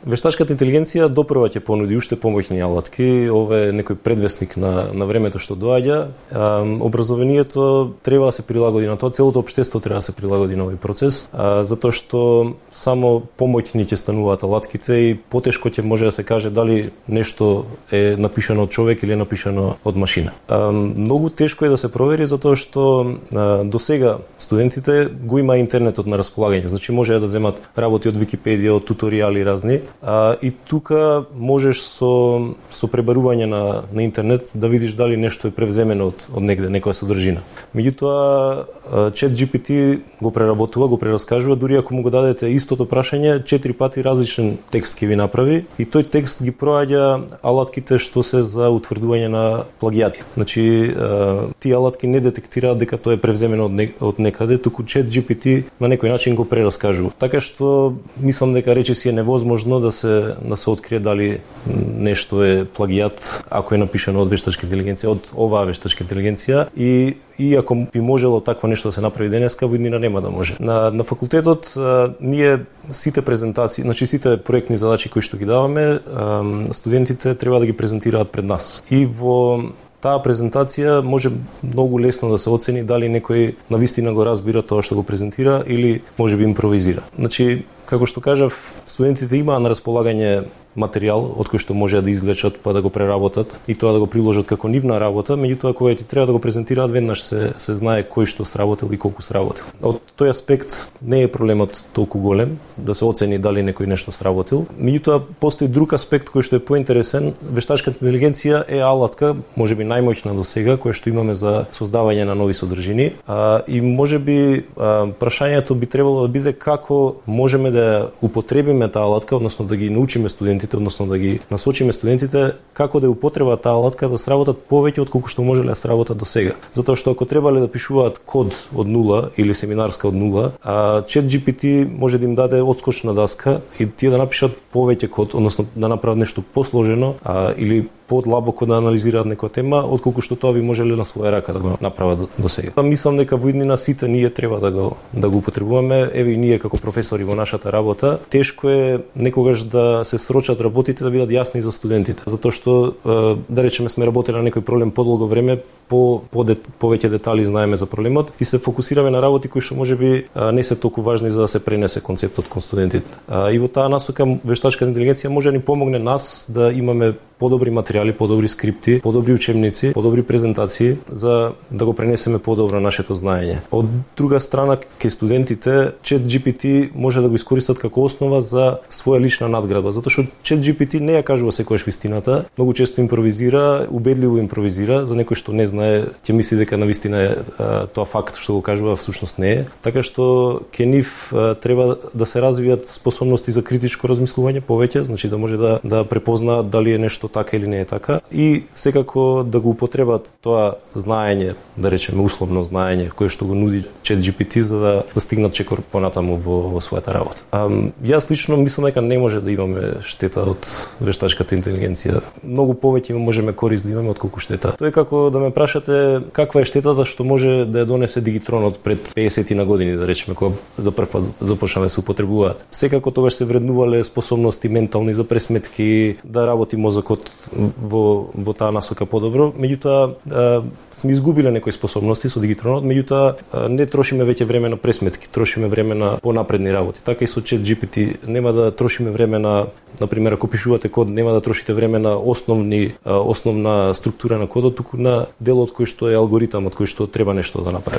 вештачката интелигенција допрва ќе понуди уште помоќни алатки, ова е некој предвесник на времето што доаѓа. Образованието треба да се прилагоди на тоа, целото општество треба да се прилагоди на овој процес, затоа што само помоќни ќе стануваат алатките и потешко ќе може да се каже дали нешто е напишано од човек или е напишано од машина. Многу тешко е да се провери затоа што до сега студентите го има интернетот на располагање, значи може да земат работи од Википедија, од туторијали разни, и тука можеш со пребарување на интернет да видиш дали нешто е превземено од негде, некоја содржина. Меѓутоа, ChatGPT го преработува, го прераскажува, дури ако му го дадете истото прашање, 4 пати различен текст ќе ви направи и тој текст ги проаѓа алатките што се за утврдување на плагиати. Значи, тие алатки не детектираат дека тоа е превземено од некаде, туку ChatGPT на некој начин го прераскажува. Така што мислам дека речиси е невозможно да се открие дали нешто е плагиат ако е напишано од вештачка интелигенција, од оваа вештачка интелигенција, и ако би можело такво нешто да се направи денеска, во иднина нема да може. На факултетот ние сите презентации, значи сите проектни задачи кои што ги даваме, студентите треба да ги презентираат пред нас. И во таа презентација може многу лесно да се оцени дали некој навистина го разбира тоа што го презентира или можеби импровизира. Значи, како што кажав, студентите имаат на располагање материјал од кој што може да извлечат па да го преработат и тоа да го приложат како нивна работа, меѓутоа кога ти треба да го презентираат веднаш се знае кој што сработил и колку сработил. Од тој аспект не е проблемот толку голем да се оцени дали некој нешто сработил. Меѓутоа постои друг аспект кој што е поинтересен. Вештачката интелигенција е алатка, можеби најмоќна до сега, која што имаме за создавање на нови содржини, и можеби прашањето би требало да биде како можеме да употребиме таа алатка, односно да ги научиме студентите, односно да ги насочиме студентите како да употреба таа алатка да сработат повеќе отколку што можеле да сработат до сега. Затоа што ако требале да пишуваат код од нула или семинарска од нула, ChatGPT може да им даде одскочна даска и тие да напишат повеќе код, односно да направат нешто посложено или подлабоко да анализираат некоја тема, отколку што тоа би можеле на своја рака да го направат до сега. Мислам дека во иднина сите ние треба да го употребуваме, еве и ние како професори во нашата работа. Тешко е некогаш да се срочат работите да бидат јасни за студентите, затоа што да речеме сме работеле на некој проблем подолго време, повеќе детали знаеме за проблемот и се фокусираме на работи кои што можеби не се толку важни за да се пренесе концептот кон студентите. И во таа насока вештачката интелигенција може да ни помогне нас да имаме подобри материјали, подобри скрипти, подобри учебници, подобри презентации за да го пренесеме подобро нашето знаење. Од друга страна, кај студентите ChatGPT може да го искористат како основа за своја лична надградба, затоа што ChatGPT не ја кажува секогаш вистината, многу често импровизира, убедливо импровизира, за некој што не знае, ќе мисли дека навистина е тоа факт што го кажува, всушност не е. Така што ке нив треба да се развијат способности за критичко размислување повеќе, значи да може да препознаат дали е нешто така или не е така и секако да го употребат тоа знаење, да речеме условно знаење кое што го нуди ChatGPT за да стигнат чекор понатаму во својата работа. Јас лично мислам дека не може да имаме штета од вештачката интелигенција. Многу повеќе можеме корист да имаме отколку штета. Тоа е како да ме прашате каква е штетата што може да ја донесе дигитронот пред 50 на години, да речеме, кога за прв пат започнале да се употребуваат. Секако тогаш се вреднувале способности ментални за пресметки, да работи мозокот во таа насока подобро. Меѓутоа сме изгубиле некои способности со дигитронот, меѓутоа не трошиме веќе време на пресметки, трошиме време на понапредни работи. Така и со ChatGPT нема да трошиме време на пример, ако пишувате код, нема да трошите време на основна структура на кодот, туку на делот кој што е алгоритамот кој што треба нешто да направи.